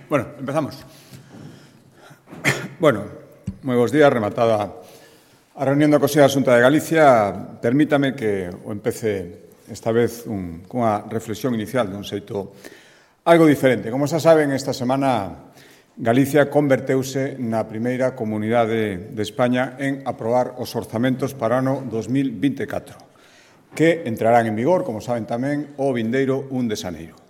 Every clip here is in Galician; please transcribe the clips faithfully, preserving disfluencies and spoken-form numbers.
Bueno, empezamos. Bueno, moi bons días, rematada a reunión da Consellería da Xunta de Galicia. Permítame que o empece esta vez un, cunha reflexión inicial dun xeito algo diferente. Como xa saben, esta semana Galicia converteuse na primeira comunidade de España en aprobar os orzamentos para o ano dos mil vinte e catro, que entrarán en vigor, como saben tamén, o vindeiro un de xaneiro.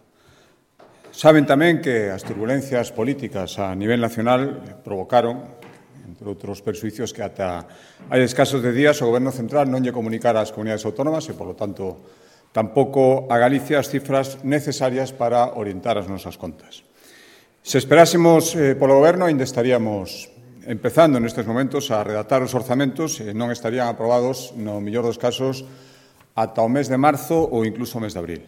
Saben tamén que as turbulencias políticas a nivel nacional provocaron, entre outros perxuicios, que ata hai escasos de días o Goberno Central non lle comunicara ás comunidades autónomas e, polo tanto, tampouco a Galicia as cifras necesarias para orientar as nosas contas. Se esperásemos eh, polo Goberno, ainda estaríamos empezando nestes momentos a redactar os orzamentos e non estarían aprobados, no mellor dos casos, ata o mes de marzo ou incluso o mes de abril.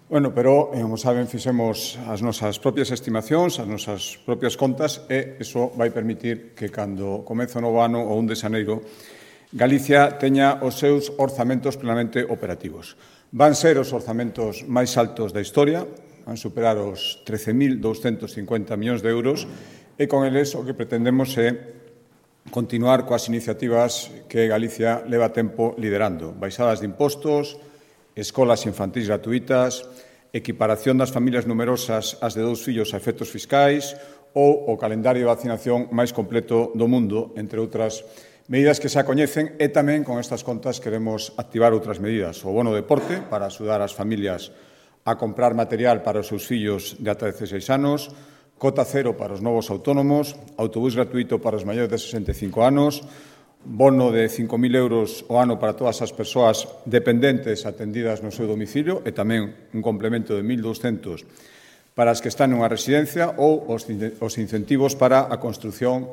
Bueno, pero, como saben, fixemos as nosas propias estimacións, as nosas propias contas, e iso vai permitir que, cando comece o novo ano, o un de xaneiro, Galicia teña os seus orzamentos plenamente operativos. Van ser os orzamentos máis altos da historia, van superar os trece mil douscentos cincuenta millóns de euros, e con eles o que pretendemos é continuar coas iniciativas que Galicia leva tempo liderando. Baixadas de impostos, escolas infantís gratuitas, equiparación das familias numerosas ás de dous fillos a efectos fiscais ou o calendario de vacinación máis completo do mundo, entre outras medidas que xa coñecen, e tamén con estas contas queremos activar outras medidas. O bono deporte para axudar as familias a comprar material para os seus fillos de ata dezaseis anos, cota cero para os novos autónomos, autobús gratuito para os maiores de sesenta e cinco anos, bono de cinco mil euros o ano para todas as persoas dependentes atendidas no seu domicilio e tamén un complemento de mil douscentos para as que están nunha residencia ou os incentivos para a construción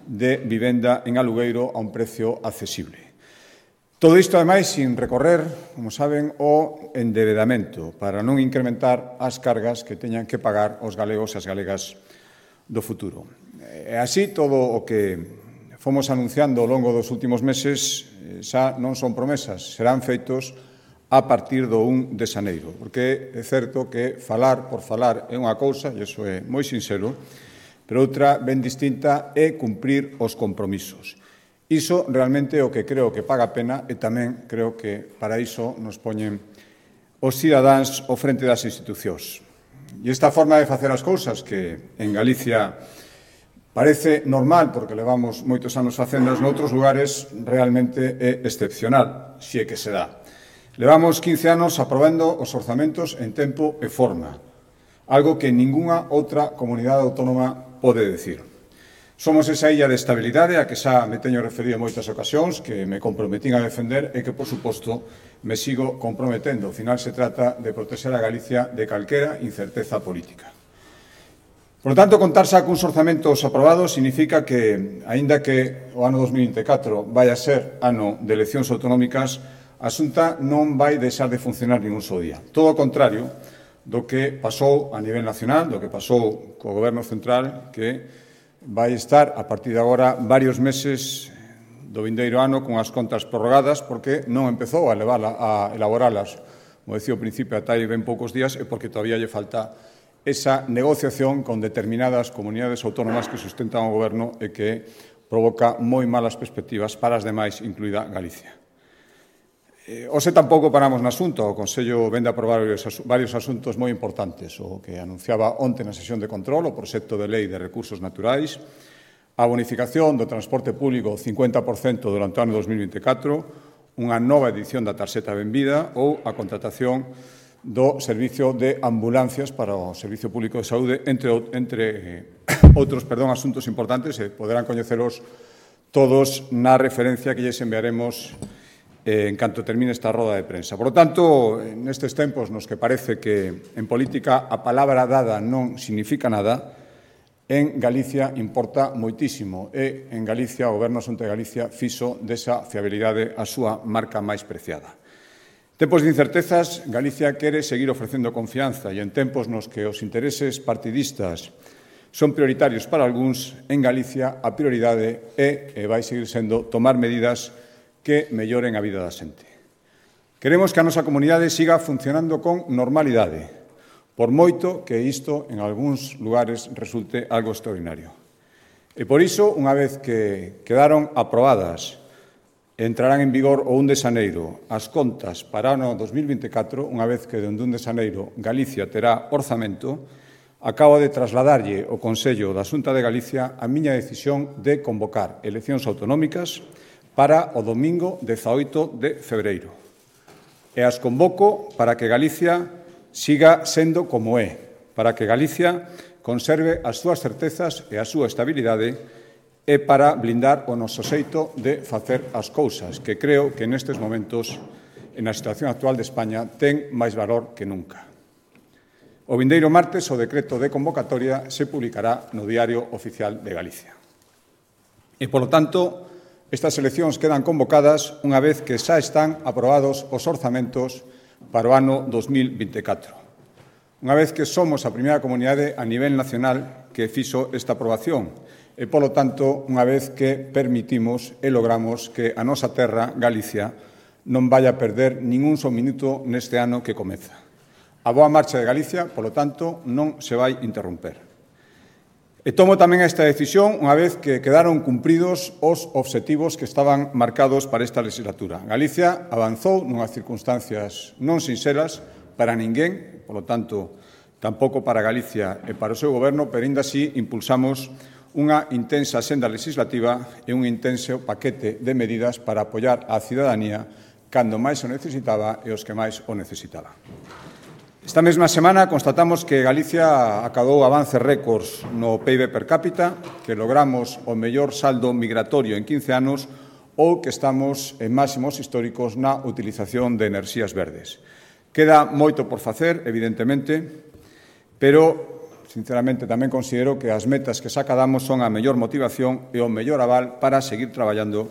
de vivenda en alugueiro a un precio accesible. Todo isto, ademais, sin recorrer, como saben, o endebedamento para non incrementar as cargas que teñan que pagar os galegos e as galegas do futuro. E así, todo o que fomos anunciando ao longo dos últimos meses xa non son promesas, serán feitos a partir do un de xaneiro, porque é certo que falar por falar é unha cousa, e iso é moi sincero, pero outra ben distinta é cumprir os compromisos. Iso realmente é o que creo que paga a pena e tamén creo que para iso nos poñen os cidadáns ao frente das institucións. E esta forma de facer as cousas que en Galicia parece normal, porque levamos moitos anos facendas noutros lugares, realmente é excepcional, se é que se dá. Levamos quince anos aprobando os orzamentos en tempo e forma, algo que ningunha outra comunidade autónoma pode decir. Somos esa illa de estabilidade a que xa me teño referido en moitas ocasións, que me comprometín a defender e que, por suposto, me sigo comprometendo. Ao final, se trata de protexer a Galicia de calquera incerteza política. Por lo tanto, contar xa cuns orzamentos aprobados significa que, aínda que o ano dos mil vinte e catro vai a ser ano de eleccións autonómicas, a Xunta non vai deixar de funcionar ningún só día. Todo o contrario do que pasou a nivel nacional, do que pasou co Goberno Central, que vai estar, a partir de agora, varios meses do vindeiro ano con as contas prorrogadas, porque non empezou a, levarla, a elaboralas, como decía ao principio, ata hai ben poucos días, e porque todavía lle falta esa negociación con determinadas comunidades autónomas que sustentan o Goberno e que provoca moi malas perspectivas para as demais, incluída Galicia. Eh, Ose tampouco paramos na Xunta. O Consello vende a aprobar varios asuntos moi importantes. O que anunciaba onte na sesión de control, o proxecto de lei de recursos naturais, a bonificación do transporte público cincuenta por cento durante o ano dos mil vinte e catro, unha nova edición da tarxeta Benvida ou a contratación do servicio de ambulancias para o Servicio Público de Saúde, entre, entre eh, outros perdón, asuntos importantes, e poderán coñecelos todos na referencia que lles enviaremos eh, en canto termine esta roda de prensa. Por lo tanto, nestes tempos nos que parece que en política a palabra dada non significa nada, en Galicia importa moitísimo, e en Galicia o Goberno Xunta de Galicia fixo desa fiabilidade a súa marca máis preciada. Tempos de incertezas, Galicia quere seguir ofrecendo confianza, e en tempos nos que os intereses partidistas son prioritarios para algúns, en Galicia a prioridade é e vai seguir sendo tomar medidas que melloren a vida da xente. Queremos que a nosa comunidade siga funcionando con normalidade, por moito que isto en algúns lugares resulte algo extraordinario. E por iso, unha vez que quedaron aprobadas e entrarán en vigor o un de xaneiro as contas para o ano dos mil vinte e catro, unha vez que dende un de xaneiro Galicia terá orzamento, acabo de trasladarlle ao Consello da Xunta de Galicia a miña decisión de convocar eleccións autonómicas para o domingo dezaoito de febreiro. E as convoco para que Galicia siga sendo como é, para que Galicia conserve as súas certezas e a súa estabilidade e para blindar o noso xeito de facer as cousas, que creo que nestes momentos, na situación actual de España, ten máis valor que nunca. O vindeiro martes o decreto de convocatoria se publicará no Diario Oficial de Galicia. E, polo tanto, estas eleccións quedan convocadas unha vez que xa están aprobados os orzamentos para o ano dos mil vinte e catro. Unha vez que somos a primeira comunidade a nivel nacional que fixo esta aprobación e, polo tanto, unha vez que permitimos e logramos que a nosa terra, Galicia, non vaya a perder ningún só minuto neste ano que comeza. A boa marcha de Galicia, polo tanto, non se vai interromper. E tomo tamén esta decisión unha vez que quedaron cumpridos os obxectivos que estaban marcados para esta legislatura. Galicia avanzou nunhas circunstancias non sinxelas para ninguén, polo tanto, tampouco para Galicia e para o seu goberno, pero ainda así impulsamos unha intensa senda legislativa e un intenso paquete de medidas para apoiar á cidadanía cando máis o necesitaba e os que máis o necesitaban. Esta mesma semana constatamos que Galicia acadou avances récords no P I B per cápita, que logramos o mellor saldo migratorio en quince anos ou que estamos en máximos históricos na utilización de enerxías verdes. Queda moito por facer, evidentemente, pero, sinceramente, tamén considero que as metas que sacadamos son a mellor motivación e o mellor aval para seguir traballando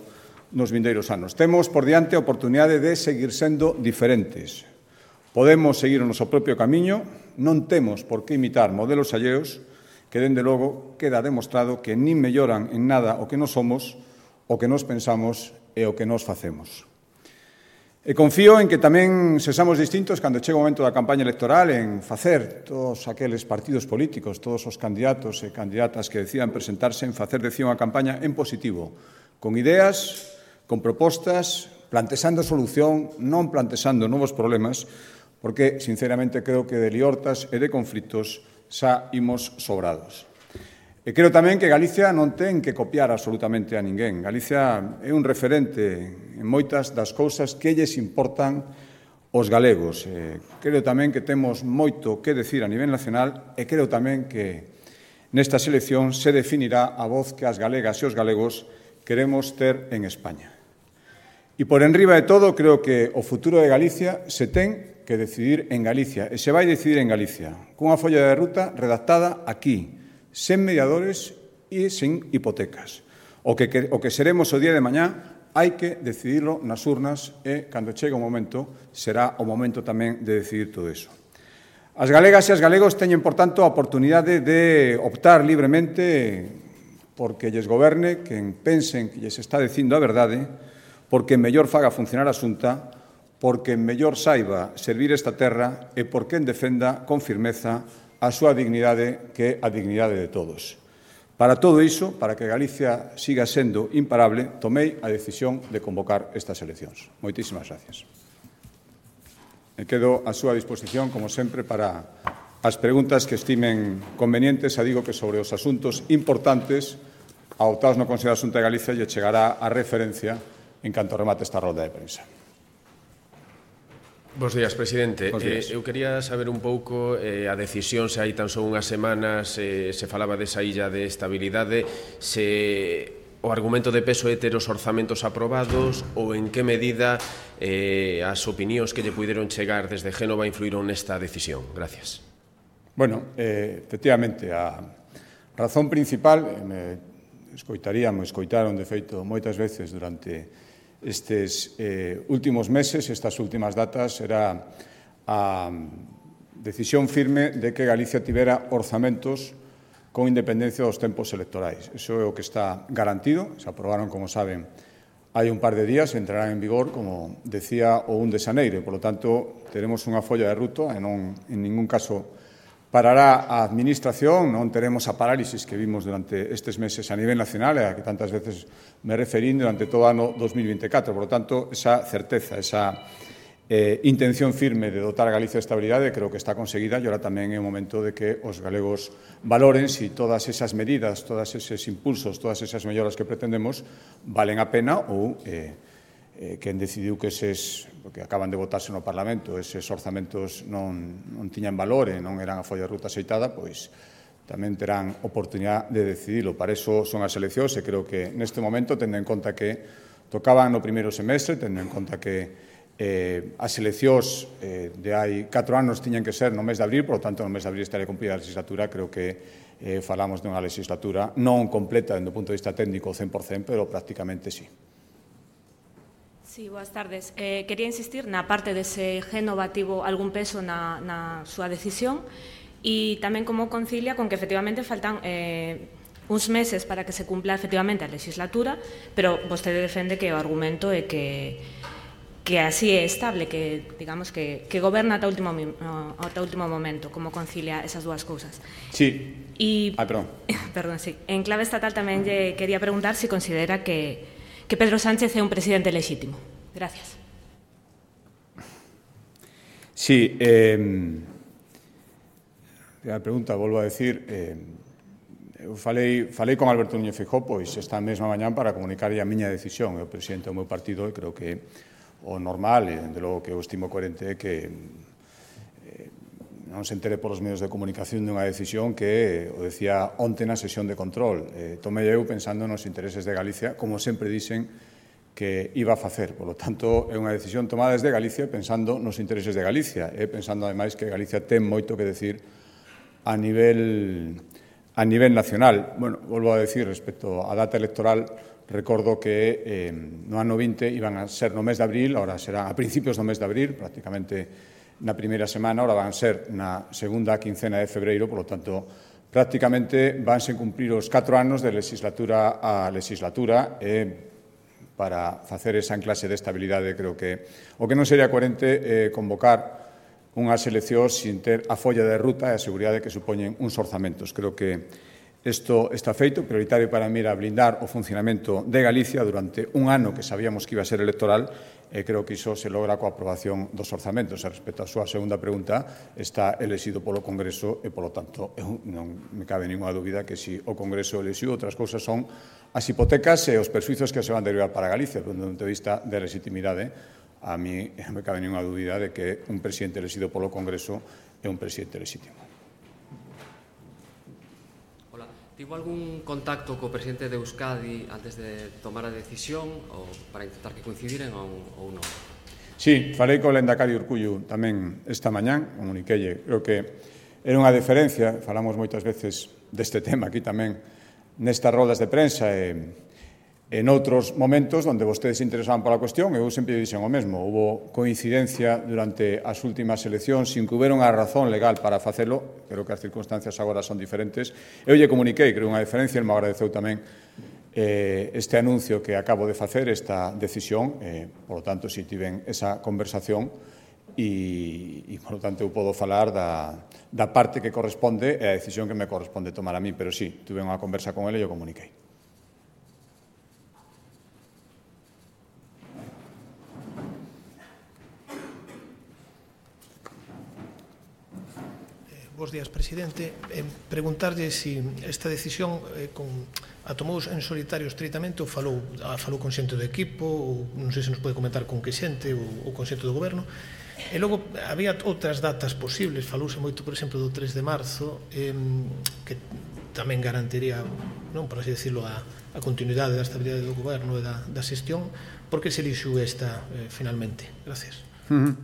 nos vindeiros anos. Temos por diante a oportunidade de seguir sendo diferentes. Podemos seguir o noso propio camiño, non temos por que imitar modelos alleos que, dende logo, queda demostrado que nin melloran en nada o que nos somos, o que nos pensamos e o que nos facemos. E confío en que tamén sexamos distintos cando chegue o momento da campaña electoral en facer todos aqueles partidos políticos, todos os candidatos e candidatas que decidan presentarse en facer de unha campaña en positivo, con ideas, con propostas, plantexando solución, non plantexando novos problemas, porque, sinceramente, creo que de liortas e de conflitos xa imos sobrados. E creo tamén que Galicia non ten que copiar absolutamente a ninguén. Galicia é un referente en moitas das cousas que lles importan os galegos. E creo tamén que temos moito que decir a nivel nacional e creo tamén que nesta selección se definirá a voz que as galegas e os galegos queremos ter en España. E por enriba de todo, creo que o futuro de Galicia se ten que decidir en Galicia e se vai decidir en Galicia, cunha folla de ruta redactada aquí, sen mediadores e sen hipotecas. O que, o que seremos o día de mañá hai que decidirlo nas urnas e, cando chegue o momento, será o momento tamén de decidir todo iso. As galegas e as galegos teñen, por tanto, a oportunidade de optar libremente porque lles goberne quen pensen que lles está dicindo a verdade, porque mellor faga funcionar a Xunta, porque mellor saiba servir esta terra e porque en defenda con firmeza a súa dignidade, que é a dignidade de todos. Para todo iso, para que Galicia siga sendo imparable, tomei a decisión de convocar estas eleccións. Moitísimas gracias. Me quedo a súa disposición, como sempre, para as preguntas que estimen convenientes. A digo que sobre os asuntos importantes adoptados no Consello da Xunta de Galicia lle chegará a referencia en canto remate esta rolda de prensa. Bos días, presidente. Bos días. Eh, eu quería saber un pouco eh, a decisión, se hai tan só unhas semanas eh, se falaba desa illa de estabilidade, se o argumento de peso é ter os orzamentos aprobados ou en que medida eh, as opinións que lle puideron chegar desde Génova influíron nesta decisión. Gracias. Bueno, eh, efectivamente, a razón principal, eh, me escoitaríamos, escoitaron, de feito, moitas veces durante estes eh, últimos meses, estas últimas datas, era a decisión firme de que Galicia tivera orzamentos con independencia dos tempos electorais. Iso é o que está garantido, se aprobaron, como saben, hai un par de días, entrarán en vigor, como decía, o un de xaneiro, e, polo tanto, teremos unha folla de ruta e non, en ningún caso, parará a Administración, non teremos a parálisis que vimos durante estes meses a nivel nacional, e a que tantas veces me referín durante todo o ano dos mil vinte e catro. Por lo tanto, esa certeza, esa eh, intención firme de dotar a Galicia de estabilidade creo que está conseguida, e ahora tamén é o momento de que os galegos valoren se todas esas medidas, todos eses impulsos, todas esas melloras que pretendemos valen a pena ou eh, eh, quen decidiu que eses, porque acaban de votarse no Parlamento, eses orzamentos non, non tiñan valor e non eran a folla de ruta aceitada, pois tamén terán oportunidade de decidilo. Para iso son as eleccións e creo que neste momento, tendo en conta que tocaban no primeiro semestre, tendo en conta que eh, as eleccións eh, de hai catro anos tiñan que ser no mes de abril, por lo tanto no mes de abril estaría cumplida a legislatura. Creo que eh, falamos dunha legislatura non completa dende o punto de vista técnico cen por cen, pero prácticamente sí. Sí, boas tardes. Eh, quería insistir na parte dese gen novativo algún peso na, na súa decisión e tamén como concilia con que efectivamente faltan eh, uns meses para que se cumpla efectivamente a legislatura, pero vostede defende que o argumento é que que así é estable, que digamos que, que goberna ata o último, ata o último momento, como concilia esas dúas cousas. Sí. E, ah, perdón. Perdón, sí. En clave estatal tamén lle quería preguntar se si considera que, que Pedro Sánchez é un presidente lexítimo. Gracias. Sí. Eh, a pregunta, volvo a decir... Eh, eu falei, falei con Alberto Núñez Feijóo pois esta mesma mañán para comunicarlle a miña decisión. É o presidente do meu partido e creo que o normal, e dende logo que eu estimo coherente, é que eh, non se entere polos medios de comunicación dunha decisión que, o decía onte na sesión de control, eh, tomei eu pensando nos intereses de Galicia, como sempre dixen que iba a facer. Por lo tanto, é unha decisión tomada desde Galicia pensando nos intereses de Galicia, e pensando, ademais, que Galicia ten moito que decir a nivel, a nivel nacional. Bueno, volvo a decir, respecto á data electoral, recordo que eh, no ano vinte iban a ser no mes de abril, ahora serán a principios do mes de abril, prácticamente na primeira semana, ahora van ser na segunda quincena de febreiro, por lo tanto, prácticamente vanse cumprir os catro anos de legislatura a legislatura e para facer esa enclase de estabilidade creo que o que non sería coherente é eh, convocar unhas eleccións sin ter a folla de ruta e a seguridade que supoñen uns orzamentos. Creo que isto está feito, prioritario para mí era blindar o funcionamento de Galicia durante un ano que sabíamos que iba a ser electoral e creo que iso se logra coa aprobación dos orzamentos. E respecto á súa segunda pregunta, está elexido polo Congreso e, polo tanto, eu non me cabe ninguna dúbida que se o Congreso elexiu, outras cousas son as hipotecas e os persuizos que se van derivar para Galicia, desde o punto de vista de legitimidade. A mí non me cabe ninguna dúbida de que un presidente elexido polo Congreso é un presidente legítimo. Tivo algún contacto co presidente de Euskadi antes de tomar a decisión ou para intentar que coincidiren ou, ou non? Sí, falei co Lendakari Urkullu tamén esta mañán, comuniquelle. Creo que era unha diferencia, falamos moitas veces deste tema aquí tamén nestas rodas de prensa e en outros momentos onde vostedes se interesaban pola cuestión, eu sempre dixen o mesmo. Houbo coincidencia durante as últimas eleccións sin que houbera unha razón legal para facelo. Creo que as circunstancias agora son diferentes. Eu lle comuniquei, creo, unha diferencia, e me agradeceu tamén eh, este anuncio que acabo de facer, esta decisión. Eh, por lo tanto, si tiven esa conversación e, e por lo tanto, eu podo falar da, da parte que corresponde e a decisión que me corresponde tomar a mí. Pero sí, tuve unha conversa con ele e o comuniquei. Bos días, presidente. Eh, preguntarlle se si esta decisión eh, con, a tomou en solitario estritamente ou falou, a, falou con xente do equipo, ou non sei se nos pode comentar con que xente ou, ou con xente do goberno. E logo había outras datas posibles, falouse moito, por exemplo, do tres de marzo, eh, que tamén garantiría, non, por así decirlo, a, a continuidade da estabilidade do goberno e da, da xestión. Por que se elixiu esta eh, finalmente? Gracias. Uh-huh.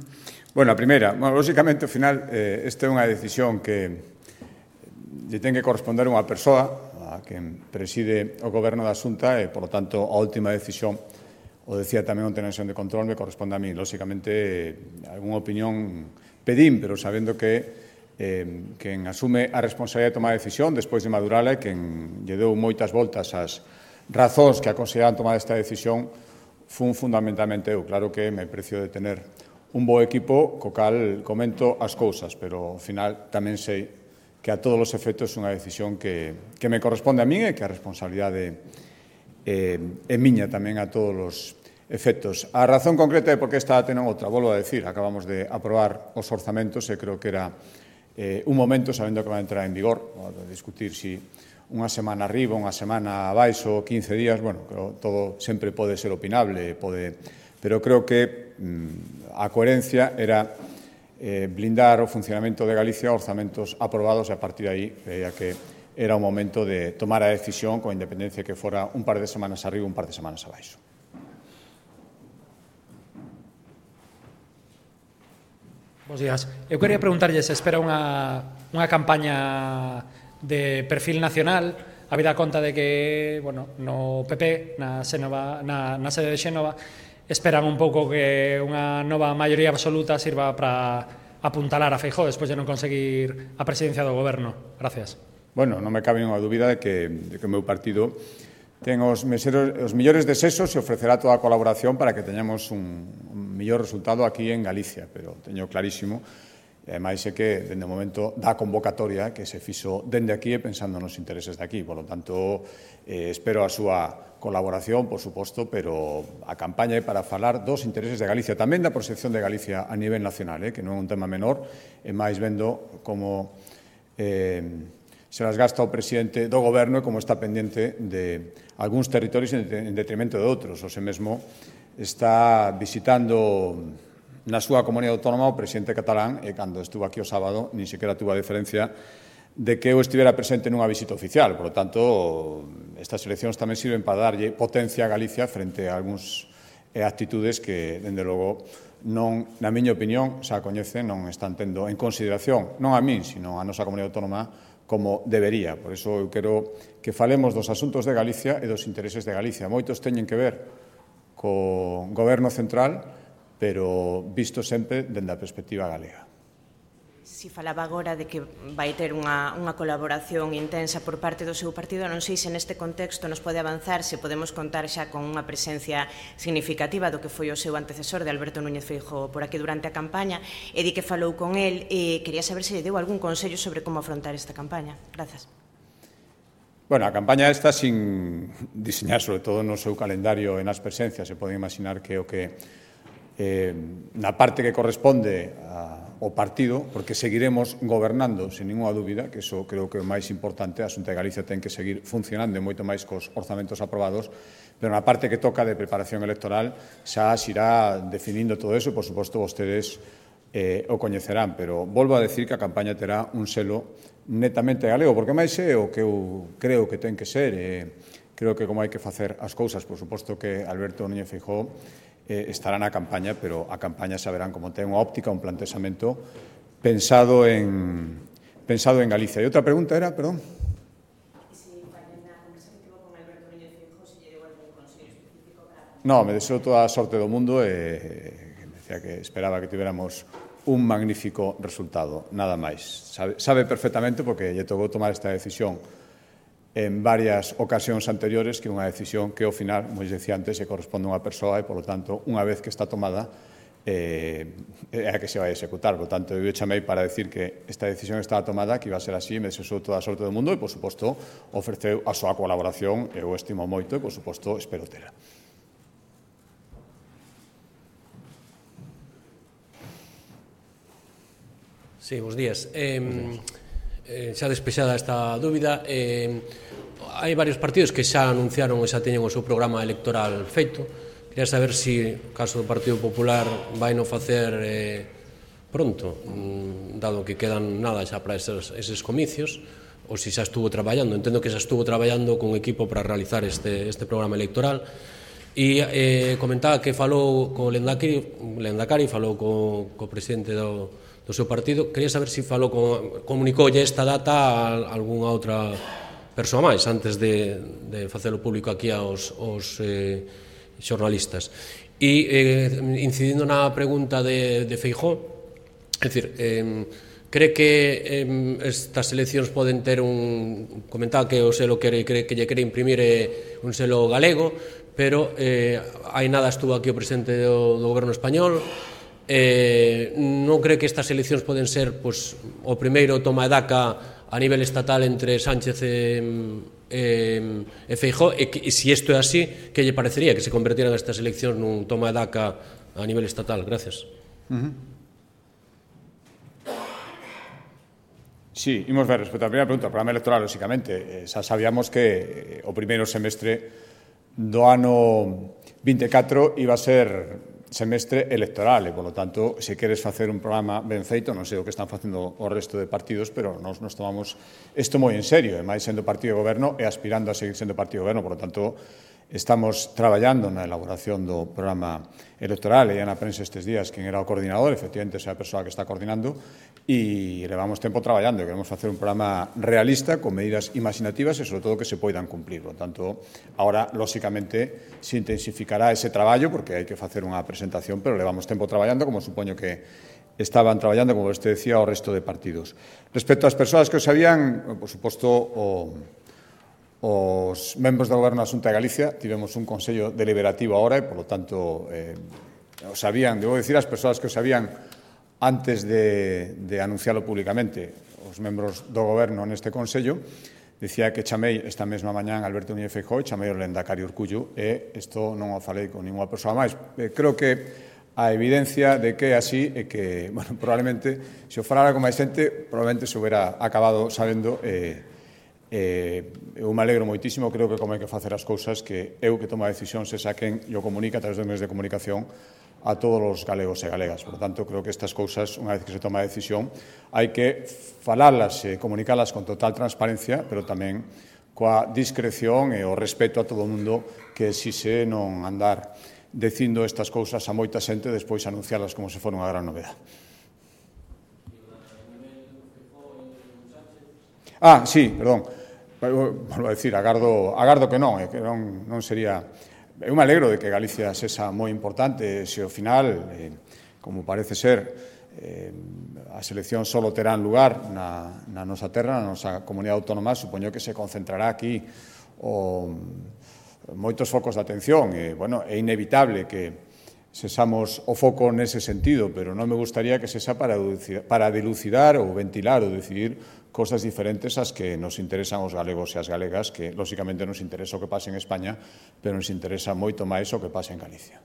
Bueno, a primeira, bueno, lógicamente, ao final, eh, esta é unha decisión que lle ten que corresponder unha persoa a quen preside o goberno da Xunta e, por lo tanto, a última decisión, o decía tamén onte na sesión de control, me corresponde a mí. Lógicamente, algunha opinión pedín, pero sabendo que eh, quen asume a responsabilidade de tomar a decisión despois de madurala e quen lle deu moitas voltas ás razóns que aconsellaban tomar esta decisión fun fundamentalmente eu. Claro que me precio de tener un bo equipo co cal comento as cousas, pero ao final tamén sei que a todos os efectos é unha decisión que, que me corresponde a min e que a responsabilidade é, é miña tamén a todos os efectos. A razón concreta é porque esta ten outra, volvo a decir, acabamos de aprobar os orzamentos e creo que era eh, un momento, sabendo que va a entrar en vigor, a discutir si unha semana arriba, unha semana abaixo, quince días, bueno, todo sempre pode ser opinable, pode, pero creo que mm, a coherencia era eh, blindar o funcionamento de Galicia, orzamentos aprobados, e a partir de aí veía que era o momento de tomar a decisión con independencia que fora un par de semanas arriba, un par de semanas abaixo. Bos días. Eu quería preguntarlle se espera unha, unha campaña de perfil nacional, habida conta de que, bueno, no P P, na, Xénova, na, na sede de Xénova, esperan un pouco que unha nova maioría absoluta sirva para apuntalar a Feijóo despois de non conseguir a presidencia do goberno. Gracias. Bueno, non me cabe unha dúbida de que, de que o meu partido ten os, meseros, os millores desesos e ofrecerá toda a colaboración para que teñamos un, un millor resultado aquí en Galicia, pero teño clarísimo. E, ademais, é que, dende o momento da convocatoria, que se fixo dende aquí e pensando nos intereses de aquí. Por lo tanto, eh, espero a súa colaboración, por suposto, pero a campaña é para falar dos intereses de Galicia, tamén da proxección de Galicia a nivel nacional, eh, que non é un tema menor, e máis vendo como eh, se las gasta o presidente do goberno e como está pendente de algúns territorios en detrimento de outros. O se mesmo está visitando na súa comunidade autónoma o presidente catalán e cando estuvo aquí o sábado nin sequera tuvo a diferencia de que eu estivera presente nunha visita oficial. Por lo tanto, estas eleccións tamén sirven para darlle potencia a Galicia frente a algúns actitudes que, dende logo, non, na miña opinión, xa a coñecen, non están tendo en consideración, non a min, sino a nosa comunidade autónoma, como debería. Por iso eu quero que falemos dos asuntos de Galicia e dos intereses de Galicia. Moitos teñen que ver co goberno central, pero visto sempre dende a perspectiva galega. Si falaba agora de que vai ter unha, unha colaboración intensa por parte do seu partido, non sei se neste contexto nos pode avanzar, se podemos contar xa con unha presencia significativa do que foi o seu antecesor de Alberto Núñez Feijóo por aquí durante a campaña, e di que falou con el, e quería saber se lle deu algún consello sobre como afrontar esta campaña. Grazas. Bueno, a campaña esta sin diseñar sobre todo no seu calendario e nas presencias, se pode imaginar que o que eh, na parte que corresponde a, ao partido, porque seguiremos gobernando, sin ninguna dúbida, que iso creo que é o máis importante, a Xunta de Galicia ten que seguir funcionando moito máis cos orzamentos aprobados, pero na parte que toca de preparación electoral xa se irá definindo todo eso, e, por suposto, vostedes eh, o coñecerán, pero volvo a decir que a campaña terá un selo netamente galego, porque máis é o que eu creo que ten que ser, e creo que como hai que facer as cousas, por suposto que Alberto Núñez Feijóo eh, estará na campaña, pero a campaña saberán como ten unha óptica, un planteamento pensado en, pensado en Galicia. E outra pregunta era, perdón? No, me deseo toda a sorte do mundo e me decía que esperaba que tiveramos un magnífico resultado, nada máis. Sabe, sabe perfectamente, porque lle tocou tomar esta decisión en varias ocasións anteriores, que é unha decisión que ao final, como decía antes, se corresponde a unha persoa e, por lo tanto, unha vez que está tomada, eh, é a que se vai a executar. Por lo tanto, eu chamei para decir que esta decisión estaba tomada, que iba a ser así, me deseo toda a sorte do mundo e, por suposto, ofreceu a súa colaboración, eu estimo moito e, por suposto, espero tela. Sí, bons días. Eh, eh, xa despexada esta dúbida, eh, hai varios partidos que xa anunciaron e xa teñen o seu programa electoral feito. Quería saber se, si, caso do Partido Popular, vai non facer eh, pronto, dado que quedan nada xa para eses, eses comicios, ou se xa estuvo traballando. Entendo que xa estuvo traballando con equipo para realizar este, este programa electoral. E eh, comentaba que falou co Lendakari, Lendakari falou co, co presidente do do seu partido. Quería saber se falou con, comunicoulle esta data a algunha outra persoa máis antes de, de facelo público aquí aos, aos eh, xornalistas. E eh, incidindo na pregunta de, de Feijóo, é dicir, eh, cree que eh, estas eleccións poden ter un... Comentaba que o selo que, que, que lle quere imprimir é un selo galego, pero eh, hai nada estuvo aquí o presidente do, do goberno español. Eh, non cree que estas eleccións poden ser, pois, o primeiro toma e daca a nivel estatal entre Sánchez e, e, e Feijóo, e, que, e se isto é así, que lle parecería que se convertieran estas eleccións nun toma de daca a nivel estatal? Gracias. Uh-huh. Sí, imos ver, respecto á primeira pregunta, o programa electoral, lóxicamente, eh, xa sabíamos que eh, o primeiro semestre do ano vinte e catro iba a ser semestre electoral e, polo tanto, se queres facer un programa ben feito, non sei o que están facendo o resto de partidos, pero nos, nos tomamos isto moi en serio, e máis sendo partido de goberno e aspirando a seguir sendo partido de goberno, polo tanto, estamos traballando na elaboración do programa electoral e na prensa estes días quen era o coordinador, efectivamente esa é a persoa que está coordinando e levamos tempo traballando e queremos facer un programa realista con medidas imaginativas e sobre todo que se poidan cumplir. Por tanto, agora, lóxicamente, se intensificará ese traballo porque hai que facer unha presentación, pero levamos tempo traballando como supoño que estaban traballando, como este decía, o resto de partidos. Respecto ás persoas que o sabían, por suposto, o os membros do Goberno da Xunta de Galicia tivemos un consello deliberativo agora e, polo tanto, eh, o sabían, debo dicir, as persoas que o sabían antes de, de anuncialo públicamente, os membros do Goberno neste consello, dicía que chamei esta mesma mañán Alberto Núñez Feijóo e chamei o Lendacario Urcullo e isto non o falei con ninguna persoa máis. Eh, creo que a evidencia de que é así é que, bueno, probablemente, se o falara con máis xente, probablemente se hubiera acabado sabendo eh, Eh, eu me alegro moitísimo, creo que como hai que facer as cousas que eu que tomo a decisión se saquen e o comunica a través dos medios de comunicación a todos os galegos e galegas. Por tanto, creo que estas cousas, unha vez que se toma a decisión, hai que falarlas e comunicalas con total transparencia, pero tamén coa discreción e o respeto a todo o mundo que si se non andar dicindo estas cousas a moita xente despois anuncialas como se fora unha gran novedade. Ah, sí, perdón. Volvo a decir, agardo, agardo que non, que non, non sería... Eu me alegro de que Galicia sexa moi importante, se ao final, eh, como parece ser, eh, as eleccións só terán lugar na, na nosa terra, na nosa comunidade autónoma, supoño que se concentrará aquí o, moitos focos de atención, e, bueno, é inevitable que sesamos o foco nese sentido, pero non me gustaría que sesa para, para dilucidar ou ventilar ou decidir cosas diferentes ás que nos interesan os galegos e as galegas, que, lóxicamente, nos interesa o que pase en España, pero nos interesa moito máis o que pase en Galicia.